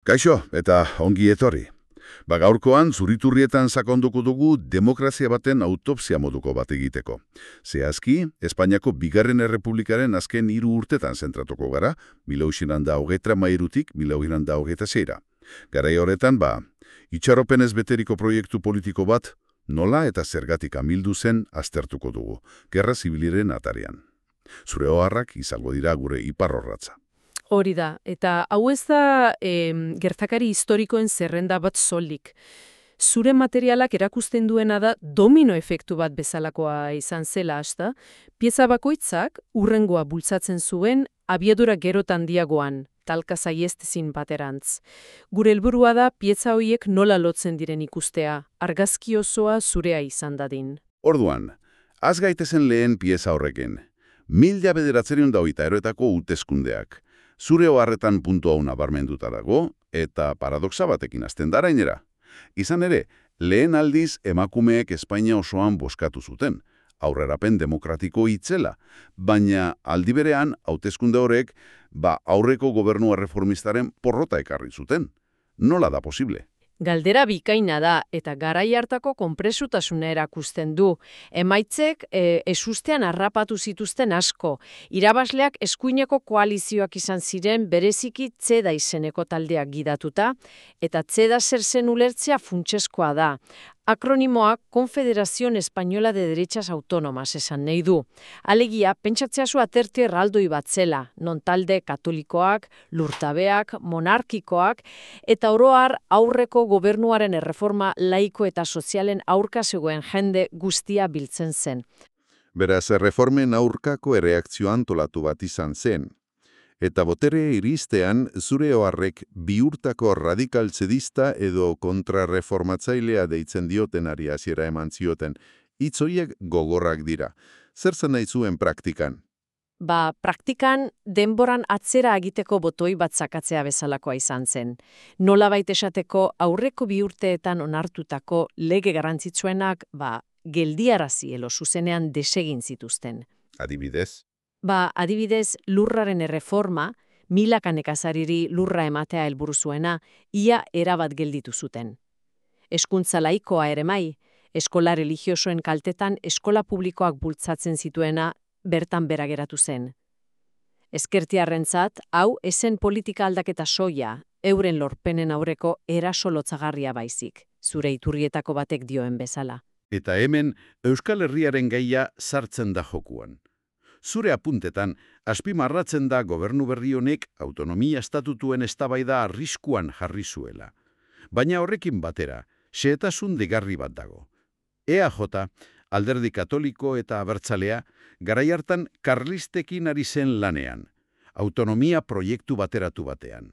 Kaixo, eta ongi etorri. Gaurkoan zuriturrietan sakonduko dugu demokrazia baten autopsia moduko bat egiteko. Zehazki, Espainiako Bigarren Errepublikaren azken 3 urtetan zentratuko gara, 1933tik 1926ra. Garai horretan, itxaropenez beteriko proiektu politiko bat, nola eta zergatik amildu zen aztertuko dugu, gerra zibiliren atarian. Zure oharrak izango dira gure iparrorratza. Hori da, eta hau ez da gertakari historikoen zerrenda bat soilik. Zure materialak erakusten duena da domino efektu bat bezalakoa izan zela hasta, pieza bakoitzak hurrengoa bultzatzen zuen abiadura gero handiagoan, talka saihestezin baterantz. Gure helburua da pieza horiek nola lotzen diren ikustea, argazki osoa zurea izan dadin. Orduan, az gaitezen lehen pieza horrekin. 1923etako hauteskundeak. Zure oharretan puntu hau nabarmenduta dago, eta paradoxa batekin hasten da gainera. Izan ere, lehen aldiz emakumeek Espainia osoan bozkatu zuten, aurrerapen demokratiko itzela, baina aldi berean hauteskunde horrek aurreko gobernua reformistaren porrota ekarri zuten. Nola da posible? Galdera bikaina da eta garai hartako konpresutasuna erakusten du. Emaitzek ezustean harrapatu zituzten asko. Irabazleak eskuineko koalizioak izan ziren bereziki Tzeda izeneko taldeak gidatuta, eta Tzeda zer zen ulertzea funtsezkoa da. Akronimoak Confederación Española de Derechas Autónomas esan nahi du. Alegia, pentsatzea zu aterti erraldoi bat zela, non talde katolikoak, lurtabeak, monarkikoak, eta oro har aurreko gobernuaren erreforma laiko eta sozialen aurka zegoen jende guztia biltzen zen. Beraz, erreformen aurkako erreakzio antolatu bat izan zen. Eta botere iristean, zure oharrek bihurtako radikal tzedista edo kontrarreformatzailea deitzen diotenari hasiera eman zioten. Hitz horiek gogorrak dira. Zer zen nahi zuen praktikan? Praktikan denboran atzera egiteko botoi bat sakatzea bezalakoa izan zen. Nolabait esateko aurreko bi urteetan onartutako lege garrantzitsuenak geldiarazi edo zuzenean desegin zituzten. Adibidez? Adibidez, lurraren erreforma, milaka nekazariri lurra ematea helburu zuena, ia erabat gelditu zuten. Hezkuntza laikoa ere mai, eskola religiosoen kaltetan eskola publikoak bultzatzen zituena bertan bera geratu zen. Ezkertiarrentzat, hau esen politika aldaketa soia, euren lorpenen aurreko eraso lotzagarria baizik, zure iturrietako batek dioen bezala. Eta hemen, Euskal Herriaren gaia sartzen da jokuan. Zure apuntetan, azpimarratzen da gobernu berri honek autonomia estatutuen eztabaida arriskuan jarri zuela. Baina horrekin batera, xehetasun deigarri bat dago. EAJ, alderdi katoliko eta abertzalea, garai hartan karlistekin ari zen lanean, autonomia proiektu bateratu batean.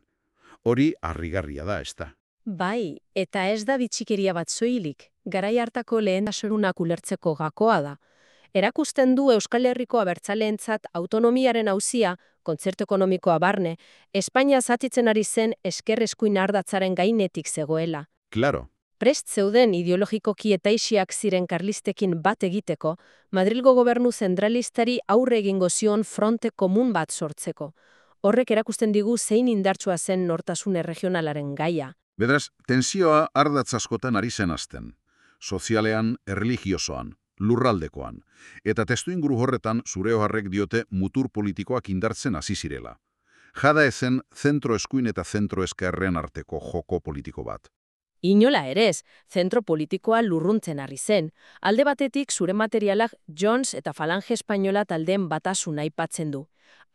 Hori harrigarria da, ezta? Bai, eta ez da bitxikeria bat soilik, garai hartako lehentasunak ulertzeko gakoa da. Erakusten du Euskal Herriko abertzaleentzat autonomiaren auzia, kontzertu ekonomikoa barne, Espainia zatitzen ari zen esker eskuin ardatzaren gainetik zegoela. Claro. Prest zeuden ideologikoki etaixiak ziren karlistekin bat egiteko, Madrilgo gobernu zentralistari aurre egingo zion fronte komun bat sortzeko. Horrek erakusten digu zein indartsua zen nortasun erregionalaren gaia. Bedraz, tentsioa ardatz askotan ari zen azten. Sozialean, erreligiosoan, lurraldekoan. Eta testuinguru horretan zure oharrek diote mutur politikoak indartzen hasi zirela. Jada ezen zentro eskuin eta zentro eskerren arteko joko politiko bat. Inola ere ez, zentro politikoa lurruntzen ari zen. Alde batetik zure materialak Jones eta Falange Espainola taldeen batasuna aipatzen du.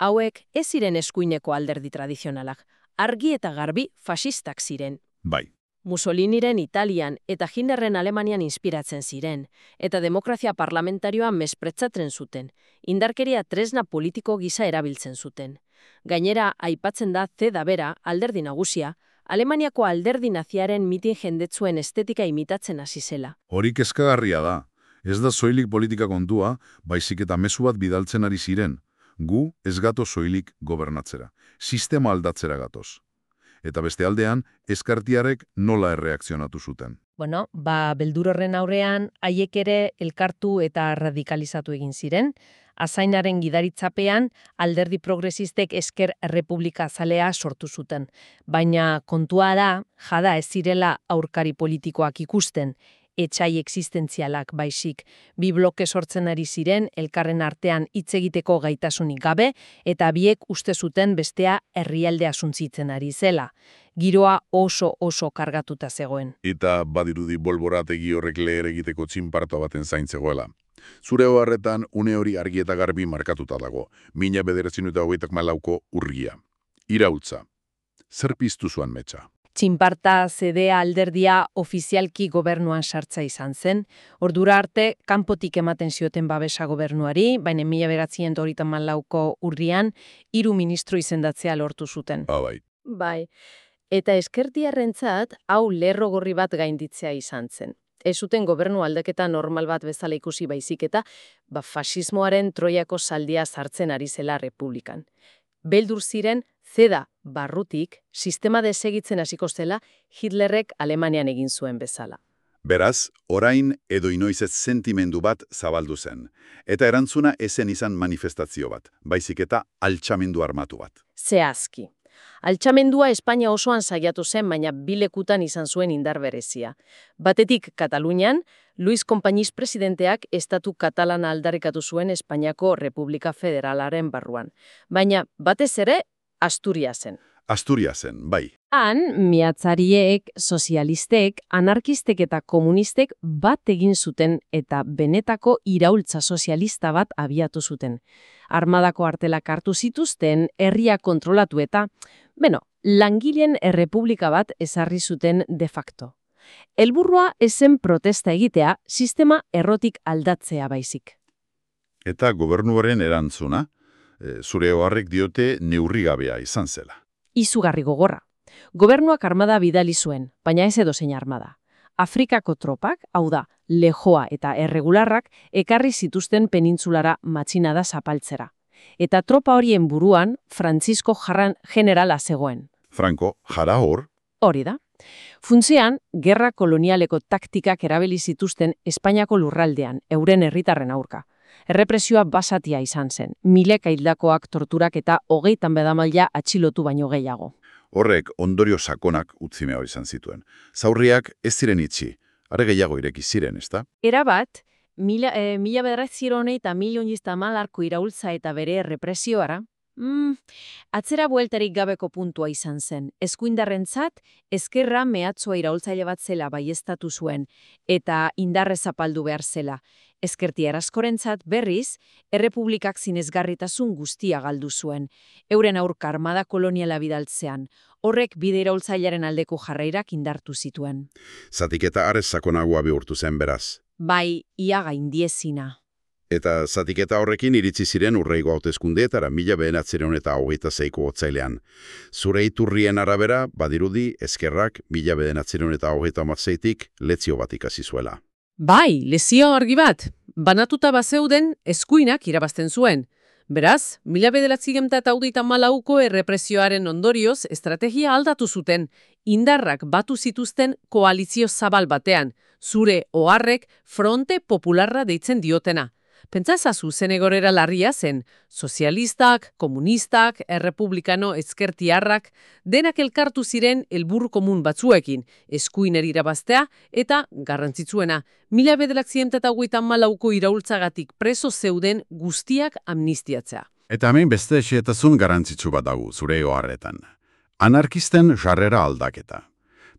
Hauek ez ziren eskuineko alderdi tradizionalak, argi eta garbi fasistak ziren. Bai. Mussoliniren Italian eta Hitlerren Alemanian inspiratzen ziren, eta demokrazia parlamentarioa mespretzatzen zuten, indarkeria tresna politiko gisa erabiltzen zuten. Gainera, aipatzen da Tzeda bera, alderdi nagusia, Alemaniako alderdi naziaren mitin jendetzuen estetika imitatzen hasi zela. Hori kezkagarria da. Ez da soilik politika kontua, baizik eta mezu bat bidaltzen ari ziren. Gu ez gato soilik gobernatzera. Sistema aldatzera gatoz. Eta beste aldean, ezkartiarek nola erreakzionatu zuten. Beldur horren aurrean, haiek ere elkartu eta radikalizatu egin ziren. Azainaren gidaritzapean, alderdi progresistek Ezker Errepublika zalea sortu zuten. Baina kontua da, jada ez zirela aurkari politikoak ikusten, etxai existentzialak baizik. Bi bloke sortzen ari ziren, elkarren artean hitz egiteko gaitasunik gabe, eta biek uste zuten bestea herrialdea suntzitzen ari zela. Giroa oso kargatuta zegoen. Eta badirudi bolborategi horrek leher egiteko txinparto baten zaintzegoela. Zure oharretan une hori argi eta garbi markatuta dago. 1924ko urria. Iraultza. Zer piztu zuan metxa? Txinparta zedea alderdia ofizialki gobernuan sartza izan zen. Ordura arte, kanpotik ematen zioten babesa gobernuari, baina 1934ko urrian 3 ministro izendatzea lortu zuten. Bai. Bai. Eta ezkertiarrentzat hau lerro gorri bat gainditzea izan zen. Ez zuten gobernu aldaketa normal bat bezala ikusi baizik eta fasismoaren Troiako zaldia sartzen ari zela Republikan. Beldur ziren, zeda barrutik, sistema desegitzen hasiko zela Hitlerrek Alemanian egin zuen bezala. Beraz, orain edo inoiz ez sentimendu bat zabaldu zen. Eta erantzuna ezen izan manifestazio bat, baizik eta altxamendu armatu bat. Zehazki. Altxamendua Espainia osoan saiatu zen, baina bilekutan izan zuen indar berezia. Batetik Katalunian, Luis Companys presidenteak estatu katalana aldarrikatu zuen Espainiako Republika Federalaren barruan. Baina batez ere Asturiasen. Asturiasen, bai. Han, miatzariek, sozialistek, anarkistek eta komunistek bat egin zuten eta benetako iraultza sozialista bat abiatu zuten. Armadako artelak hartu zituzten, herria kontrolatu eta, langileen errepublika bat ezarri zuten de facto. Helburua ezen protesta egitea, sistema errotik aldatzea baizik. Eta gobernuaren erantzuna, zure oharrek diote neurrigabea izan zela. Izugarri gogorra. Gobernuak armada bidali zuen, baina ez edozein armada. Afrikako tropak, hau da, lejoa eta erregularrak, ekarri zituzten penintzulara matxinada zapaltzera. Eta tropa horien buruan, Francisco Jarran generala zegoen. Franco, jara hor? Hori da. Funtzean, gerra kolonialeko taktikak erabili zituzten Espainiako lurraldean, euren herritarren aurka. Errepresioa basatia izan zen, mileka hildakoak torturak eta 30 bedamaila atxilotu baino gehiago. Horrek ondorio sakonak utzimea izan zituen. Zaurriak ez ziren itxi, are gehiago ireki ziren, ezta? Erabat, 1930 iraultza eta bere errepresioara, atzera bueltarik gabeko puntua izan zen. Eskuindarrentzat, ezkerra mehatzoa iraultzaile bat zela baieztatu zuen, eta indarrez zapaldu behar zela. Ezkertiar askorentzat berriz, errepublikak zinezgarritasun guztia galdu zuen, euren aurka armada koloniala bidaltzean, horrek bide iraultzailearen aldeko jarrairak indartu zituen. Zatiketa arez sakonagoa bihurtu zen beraz. Bai, ia gaindiezina. Eta zatiketa horrekin iritsi ziren urreigo hauteskundeetara 1926ko otsailean. Zure iturrien arabera, badirudi, ezkerrak 1926tik lezio bat ikasi zuela. Bai, lezio argi bat. Banatuta bazeuden eskuinak irabazten zuen. Beraz, 1934ko errepresioaren ondorioz estrategia aldatu zuten, indarrak batu zituzten koalizio zabal batean, zure oharrek Fronte Popularra deitzen diotena. Pentsazazu zen egorera larria zen, sozialistak, komunistak, errepublikano ezkertiarrak, denak elkartu ziren helburu komun batzuekin, eskuiner irabaztea eta, garrantzitsuena, 1934ko iraultzagatik preso zeuden guztiak amnistiatzea. Eta hemen beste xehetazun garrantzitsu bat dago zure oharretan. Anarkisten jarrera aldaketa.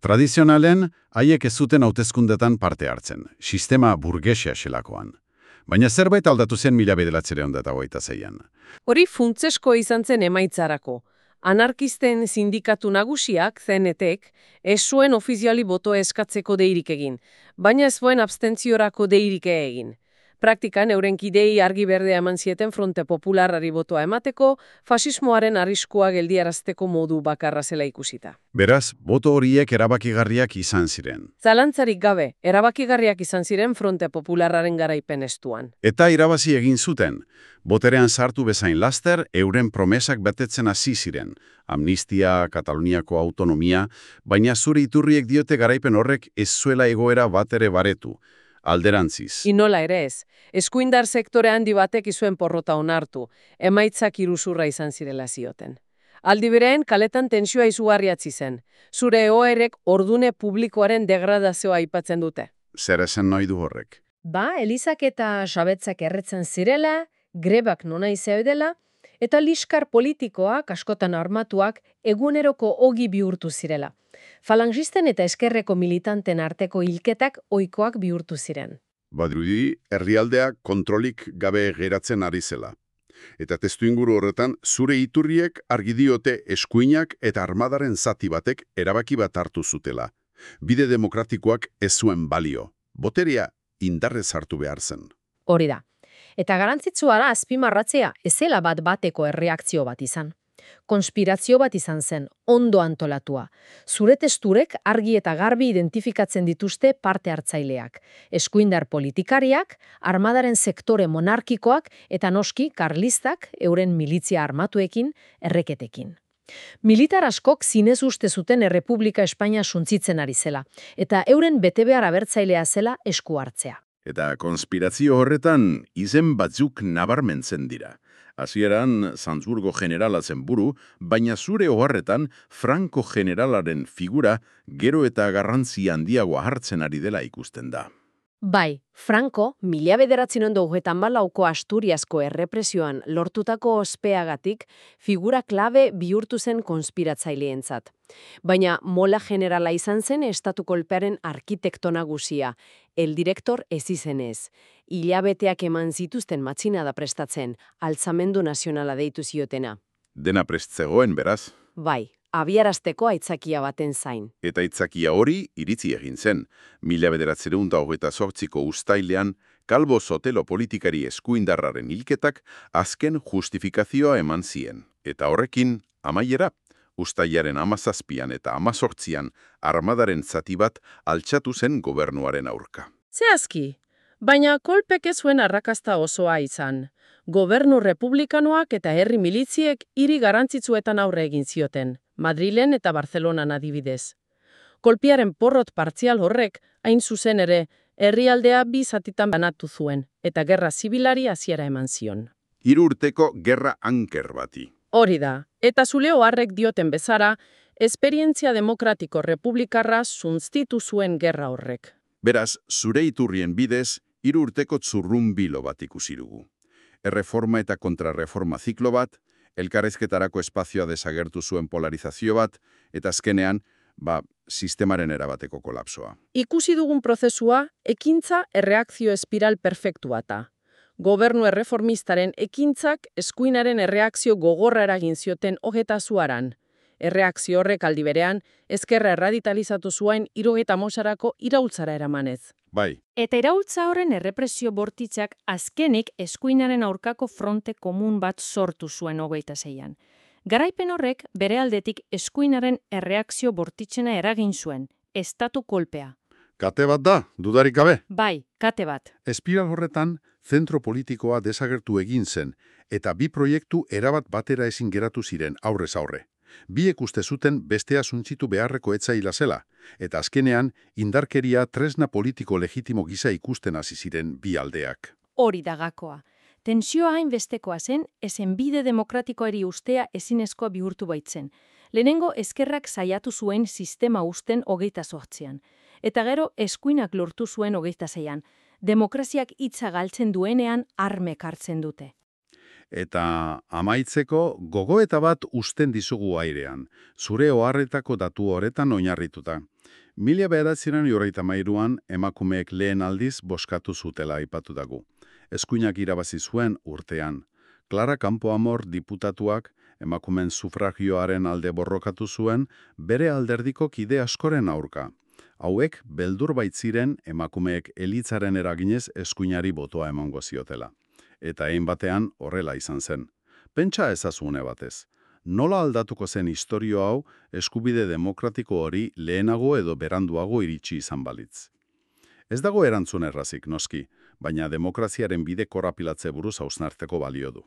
Tradizionalen, haiek ez zuten hauteskundetan parte hartzen, sistema burgesia xelakoan. Baina zerbait aldatu zen 1926an. Hori funtsesko izan zen emaitzarako. Anarkisten sindikatu nagusiak, CNTek, ez zuen ofiziali botoa eskatzeko deirik egin, baina ez zuen abstentziorako deirik egin. Praktikan euren kidei argi berdea eman zieten Fronte Popularrari botoa emateko, fasismoaren arriskua geldiarazteko modu bakarra zela ikusita. Beraz, boto horiek erabakigarriak izan ziren. Zalantzarik gabe, erabakigarriak izan ziren Fronte Popularraren garaipen estuan. Eta irabazi egin zuten. Boterean sartu bezain laster, euren promesak betetzen hasi ziren. Amnistia, Kataluniako autonomia, baina zure iturriek diote garaipen horrek ez zuela egoera bat ere baretu. Alderantziz. Inola ere ez. Eskuindar sektore handi batek izuen porrota onartu, emaitzak iruzurra izan zirela zioten. Aldi berean, kaletan tentsioa izugarriatzi zen. Zure egoerek ordune publikoaren degradazioa aipatzen dute. Zer esan nahi du horrek? Ba, elizak eta sabetzak erretzen zirela, grebak nona izaudela, eta liskar politikoak, askotan armatuak, eguneroko ogi bihurtu zirela. Falangisten eta eskerreko militanten arteko hilketak ohikoak bihurtu ziren. Badirudi, herrialdea kontrolik gabe geratzen ari zela. Eta testuinguru horretan, zure iturriek argi diote eskuinak eta armadaren zati batek erabaki bat hartu zutela. Bide demokratikoak ez zuen balio. Boterea indarrez hartu behar zen. Hori da. Eta garantzitsua da azpimarratzea ezela bat-bateko erreakzio bat izan. Konspirazio bat izan zen, ondo antolatua. Zure testurek argi eta garbi identifikatzen dituzte parte hartzaileak. Eskuindar politikariak, armadaren sektore monarkikoak eta noski karlistak euren militzia armatuekin, erreketekin. Militar askok zinez uste zuten Errepublika Espainia suntsitzen ari zela, eta euren betebehar abertzailea zela esku hartzea. Eta konspirazio horretan izen batzuk nabarmentzen dira. Hasieran Salzburgo generala zen buru, baina zure oharretan Franco generalaren figura gero eta garrantzi handiagoa hartzen ari dela ikusten da. Bai, Franco, 1934ko Asturiasko errepresioan lortutako ospeagatik figura klabe bihurtu zen konspiratzaileentzat. Baina mola generala izan zen estatu kolpearen arkitekto nagusia, el direktor ez izenez. Hilabeteak eman zituzten matxinada prestatzen, altzamendu nazionala deitu ziotena. Dena prest zegoen, beraz. Bai, abiarazteko aitzakia baten zain. Eta aitzakia hori iritzi egin zen. 1928ko uztailean, Calvo Sotelo politikari eskuindarraren hilketak azken justifikazioa eman zien. Eta horrekin, amaiera, uztailaren 17an eta 18an armadaren zati bat altxatu zen gobernuaren aurka. Zehazki, baina kolpek ez zuen arrakasta osoa izan. Gobernu republikanoak eta herri militziek hiri garrantzitsuetan aurre egin zioten, Madrilen eta Barcelonan adibidez. Kolpiaren porrot partzial horrek, hain zuzen ere, herrialdea bi zatitan banatu zuen, eta gerra zibilari hasiera eman zion. 3 urteko gerra anker bati. Hori da, eta Zuleo harrek dioten bezara, esperientzia demokratiko republikarra sunstitu zuen gerra horrek. Beraz, zure iturrien bidez, 3 urteko zurrunbilo bat ikusi dugu. Erreforma eta kontrarreforma ziklo bat, elkarrezketarako espazioa desagertu zuen polarizazio bat, eta azkenean, sistemaren erabateko kolapsoa. Ikusi dugun prozesua, ekintza erreakzio espiral perfektu bata. Gobernu erreformistaren ekintzak eskuinaren erreakzio gogorra eragin zioten hogetazuaran. Erreakzio horrek aldi berean, ezkerra erradikalizatu zuen 75arako iraultzara eramanez. Bai, Eta iraultza horren errepresio bortitzak azkenik eskuinaren aurkako fronte komun bat sortu zuen 26an. Garaipen horrek bere aldetik eskuinaren erreakzio bortitzena eragin zuen, estatu kolpea. Kate bat da, dudarik gabe. Bai, kate bat. Espiral horretan, zentro politikoa desagertu egin zen, eta bi proiektu erabat batera ezin geratu ziren aurrez aurre. Biek uste zuten bestea suntzitu beharreko etzaila zela, eta azkenean indarkeria tresna politiko legitimo gisa ikusten hasi ziren bi aldeak. Hori da gakoa. Tentsioa hainbestekoa zen, ezen bide demokratikoari ustea ezinezkoa bihurtu baitzen. Lehenengo ezkerrak saiatu zuen sistema usten 28an. Eta gero eskuinak lortu zuen 26an. Demokraziak hitza galtzen duenean armek hartzen dute. Eta amaitzeko gogoeta bat usten dizugu airean, zure oharretako datu horretan oinarrituta. 1993an emakumeek lehen aldiz boskatu zutela aipatu dago. Eskuinak irabazi zuen urtean. Clara Campoamor diputatuak emakumeen sufragioaren alde borrokatu zuen bere alderdiko kide askoren aurka. Hauek beldur baitziren emakumeek elitzaren eraginez eskuinari botoa emango ziotela. Eta hein batean horrela izan zen. Pentsa ezazune batez. Nola aldatuko zen istorio hau eskubide demokratiko hori lehenago edo beranduago iritsi izan balitz. Ez dago erantzun errazik, noski, baina demokraziaren bide korapilatze buruz hausnartzeko balio du.